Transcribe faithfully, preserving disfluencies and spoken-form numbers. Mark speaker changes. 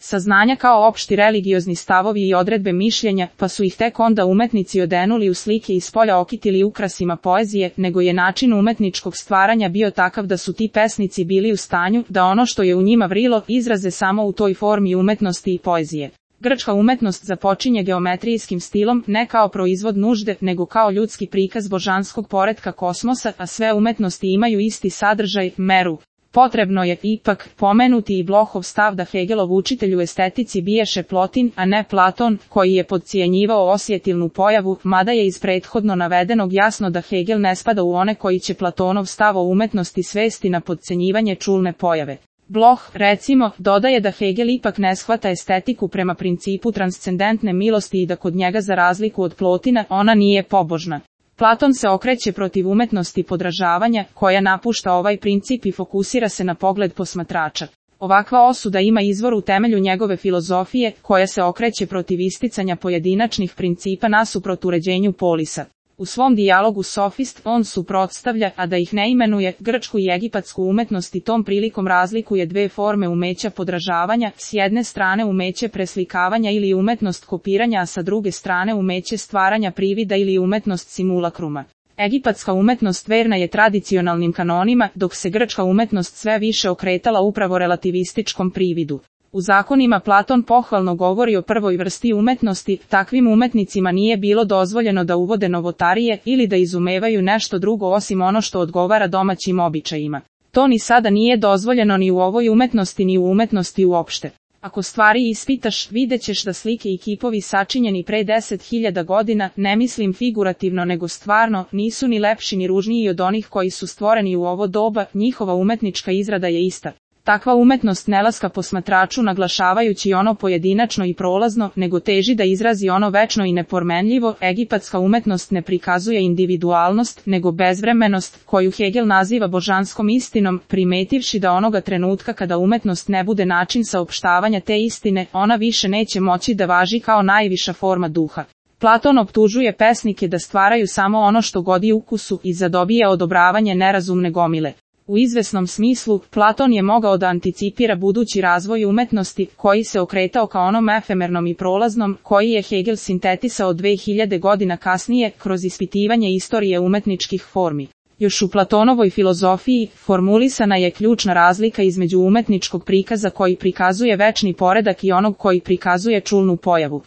Speaker 1: saznanja kao opšti religiozni stavovi i odredbe mišljenja, pa su ih tek onda umetnici odenuli u slike i spolja okitili ukrasima poezije, nego je način umetničkog stvaranja bio takav da su ti pesnici bili u stanju da ono što je u njima vrilo izraze samo u toj formi umetnosti i poezije. Grčka umetnost započinje geometrijskim stilom ne kao proizvod nužde, nego kao ljudski prikaz božanskog poretka kosmosa, a sve umetnosti imaju isti sadržaj, meru. Potrebno je, ipak, pomenuti i Blochov stav da Hegelov učitelj u estetici biješe Plotin, a ne Platon, koji je podcijenjivao osjetilnu pojavu, mada je iz prethodno navedenog jasno da Hegel ne spada u one koji će Platonov stav o umetnosti svesti na podcenjivanje čulne pojave. Bloch, recimo, dodaje da Hegel ipak ne shvata estetiku prema principu transcendentne milosti i da kod njega za razliku od Plotina ona nije pobožna. Platon se okreće protiv umetnosti podražavanja, koja napušta ovaj princip i fokusira se na pogled posmatrača. Ovakva osuda ima izvor u temelju njegove filozofije, koja se okreće protiv isticanja pojedinačnih principa nasuprot uređenju polisa. U svom dijalogu Sofist on suprotstavlja, a da ih ne imenuje, grčku i egipatsku umetnost i tom prilikom razlikuje dve forme umeća podražavanja, s jedne strane umeće preslikavanja ili umetnost kopiranja, a sa druge strane umeće stvaranja privida ili umetnost simulakruma. Egipatska umetnost verna je tradicionalnim kanonima, dok se grčka umetnost sve više okretala upravo relativističkom prividu. U zakonima Platon pohvalno govori o prvoj vrsti umetnosti, takvim umetnicima nije bilo dozvoljeno da uvode novotarije ili da izumevaju nešto drugo osim ono što odgovara domaćim običajima. To ni sada nije dozvoljeno ni u ovoj umetnosti ni u umetnosti uopšte. Ako stvari ispitaš, vidjet ćeš da slike i kipovi sačinjeni pre deset hiljada godina, ne mislim figurativno nego stvarno, nisu ni lepši ni ružniji od onih koji su stvoreni u ovo doba, njihova umetnička izrada je ista. Takva umetnost ne laska posmatraču naglašavajući ono pojedinačno i prolazno, nego teži da izrazi ono večno i nepromenljivo. Egipatska umetnost ne prikazuje individualnost, nego bezvremenost, koju Hegel naziva božanskom istinom, primetivši da onoga trenutka kada umetnost ne bude način saopštavanja te istine, ona više neće moći da važi kao najviša forma duha. Platon optužuje pesnike da stvaraju samo ono što godi ukusu i zadobije odobravanje nerazumne gomile. U izvesnom smislu, Platon je mogao da anticipira budući razvoj umetnosti, koji se okretao ka onom efemernom i prolaznom, koji je Hegel sintetisao dve hiljade godina kasnije, kroz ispitivanje istorije umetničkih formi. Još u Platonovoj filozofiji, formulisana je ključna razlika između umetničkog prikaza koji prikazuje večni poredak i onog koji prikazuje čulnu pojavu.